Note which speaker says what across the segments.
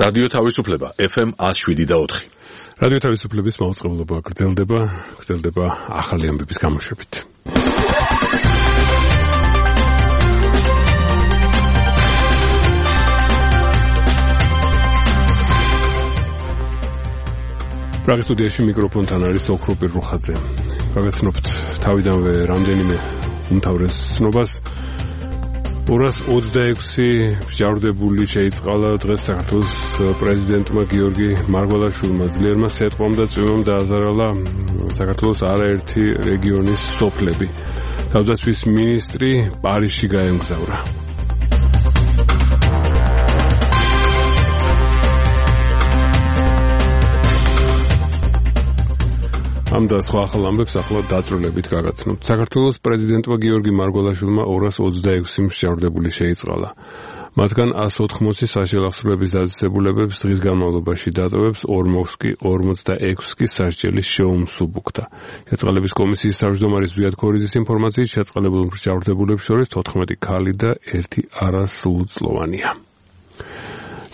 Speaker 1: რადიო თავისუფლება FM 107.4.
Speaker 2: რადიო თავისუფლების მაუწყებლობა გრძელდება ახალი ამბების გამოშვებით. პრაღის სტუდიაში მიკროფონთან არის ოქროპი რუხაძე. გაგაცნობთ თავიდანვე რამდენიმე უმთავრეს ცნობას. 226 მსჯავრდებული შეიწყალა დღეს საქართველოს პრეზიდენტმა გიორგი მარგველაშვილმა. ძლიერმა სეტყვამ და წვიმამ დააზარალა საქართველოს არაერთი რეგიონის სოფლები. თავდაცვის მინისტრი პარიზში გაემგზავრა. ამ და სხვა ახალ ამბებს ახლა დაწვრილებით გაგაცნობთ. საქართველოს პრეზიდენტმა გიორგი მარგველაშვილმა 226 მსჯავრდებული შეიწყალა. მათგან 180 საშელახსრუების დაწესებულებებს დღის განმავლობაში დატოვებს, 46 კი სასჯელის შეუმსუბუქდა. შეწყალების კომისიის თავმჯდომარის ზვიად ქორიძის ინფორმაციით შეწყალებულ მსჯავრდებულებს შორის 14 ქალი და 1 არასრულწლოვანია.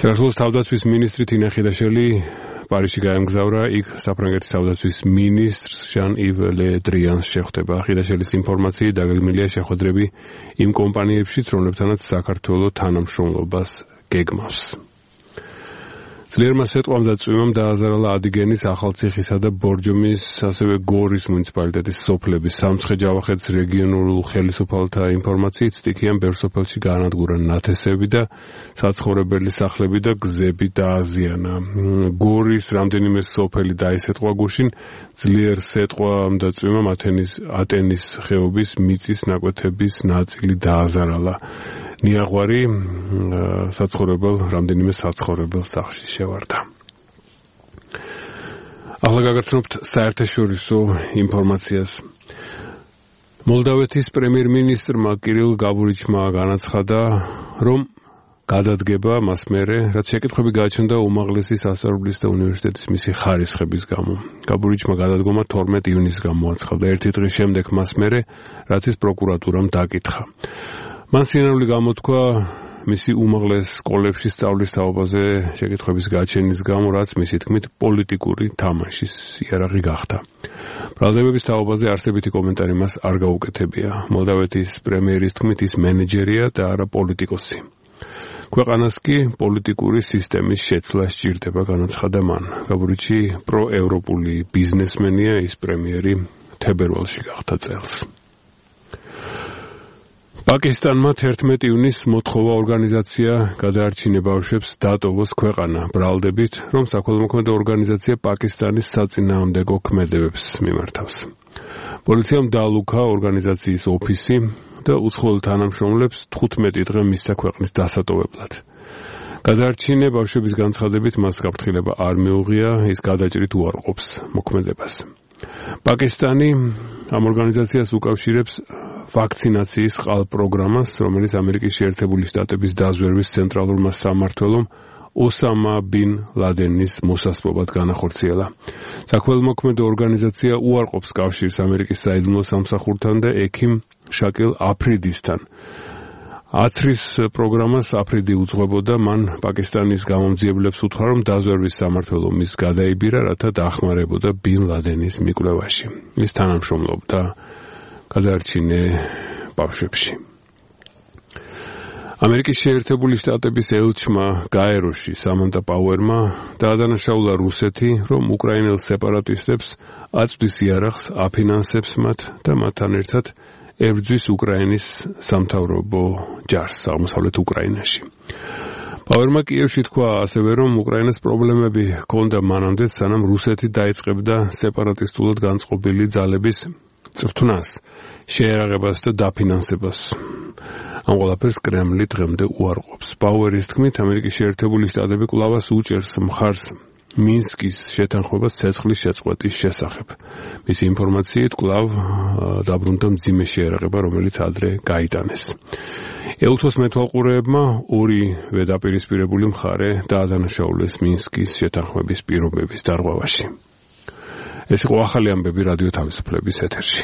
Speaker 2: საქართველოს თავდაცვის მინისტრი თინა ხიდაშელი პარიზში გაემგზავრა. იქ საფრანგეთის თავდაცვის მინისტრს ჟან-ივ ლე დრიანს შეხვდება. ხიდაშელის ინფორმაციით დაგეგმილია შეხვედრები იმ კომპანიებშიც, რომლებთანაც საქართველოს თანამშრომლობას გეგმავს. ძლიერმა სეტყვამ და წვიმამ დააზარალა ადიგენის, ახალციხისა და ბორჯომის, ასევე გორის მუნიციპალიტეტის სოფლები. სამცხე-ჯავახეთის რეგიონულ ხელისუფალთა ინფორმაციით სტიქიან ბევრ სოფელში გაანადგურა ნათესები და საცხოვრებელი სახლები და გზები დააზიანა. გორის რამდენიმე სოფელი დაისეტყვა გუშინ. ძლიერ სეტყვამ და წვიმამ ატენის ხეობის მიწის ნაკვეთების ნაწილი დააზარალა. ნიაღვარი რამდენიმე საცხოვრებელ სახლში შევარდა. ახლა გაგაცნობთ საერთაშორისო ინფორმაციას. მოლდავეთის პრემიერ-მინისტრმა კირილ გაბურიჩმა განაცხადა, რომ გადადგება მას მერე, რაც შეკითხვები გააჩნდა უმაღლესი სასწავლებლის და უნივერსიტეტის მისი ხარისხების გამო. გაბურიჩმა გადადგომა 12 ივნისს გამოაცხადა, ერთი დღის შემდეგ მას მერე, რაც ის პროკურატურამ დაკითხა. მან სინამდვილე გამოთქვა მისი უმაღლეს სკოლებში სწავლის თაობაზე შეკითხვების გაჩენის გამო, რაც მისი თქმით პოლიტიკური თამაშის იარაღი გახდა. ბრალდებების თაობაზე არსებითი კომენტარი მას არ გაუკეთებია. მოლდავეთის პრემიერის თქმით ის მენეჯერია და არა პოლიტიკოსი. ქვეყანას კი პოლიტიკური სისტემის შეცვლა სჭირდება, განაცხადა მან. გაბურიჩი პროევროპული ბიზნესმენია, ის პრემიერი თებერვალში გახდა წელს. პაკისტანმა 11 ივნისს მოთხოვა ორგანიზაცია გადაარჩინე ბავშვებს დატოვოს ქვეყანა, ბრალდებით, რომ საქველმოქმედო ორგანიზაცია პაკისტანის საწინააღმდეგო ქმედებებს მიმართავს. პოლიციამ დაალუქა ორგანიზაციის ოფისი და უცხოელ თანამშრომლებს 15 დღე მისცა ქვეყნის დასატოვებლად. გადაარჩინე ბავშვების განცხადებით მას გაფრთხილება არ მიუღია, ის გადაჭრით უარყოფს მოქმედებას. პაკისტანი ამ ორგანიზაციას უკავშირებს ვაქცინაციის ყალ-პროგრამას, რომელიც ამერიკის შეერთებული შტატების დაზვერვის ცენტრალურმა სამმართველომ ოსამა ბინ ლადენის მოსასპობად განახორციელა. საქველმოქმედო ორგანიზაცია უარყოფს კავშირს ამერიკის საიდუმლო სამსახურთან და ექიმ შაკილ აფრიდისთან. აცრის პროგრამას აფრიდი უძღვებოდა, მან პაკისტანის გამომძიებლებს უთხრა, რომ დაზვერვის სამმართველო მის გადაიბირა, რათა დაახმარებოდა ბინ ლადენის მიკვლევაში. ის თანამშრომლობდა გადაარჩინე ბავშვებში. ამერიკის შეერთებული შტატების ელჩმა გაეროში სამანტა პაუერმა დაადანაშაულა რუსეთი, რომ უკრაინელ სეპარატისტებს აწვდის იარაღს, აფინანსებს მათ და მათთან ერთად ებრძვის უკრაინის სამთავრობო ჯარს აღმოსავლეთ უკრაინაში. პაუერმა კიევში თქვა ასევე, რომ უკრაინას პრობლემები ჰქონდა მანამდე, სანამ რუსეთი დაიწყებდა სეპარატისტულად განწყობილი ძალების წრთვნას, შეერაღებას და დაფინანსებას. ამ ყველაფერს კრემლი დღემდე უარყოფს. პაუერის თქმით, ამერიკის შეერთებული შტატები კვლავაც უჭერს მხარს მინსკის შეთანხმებას ცეცხლის შეწყვეტის შესახებ. მისი ინფორმაციით კვლავ დაბრუნდა მძიმე შეერაღება, რომელიც ადრე გაიტანეს. ეუთოს მეთვალყურეებმა ორივე დაპირისპირებული მხარე დაადანაშაულეს მინსკის შეთანხმების პირობების დარღვევაში. ეს იყო ახალი ამბები რადიო თავისუფლების ეთერში.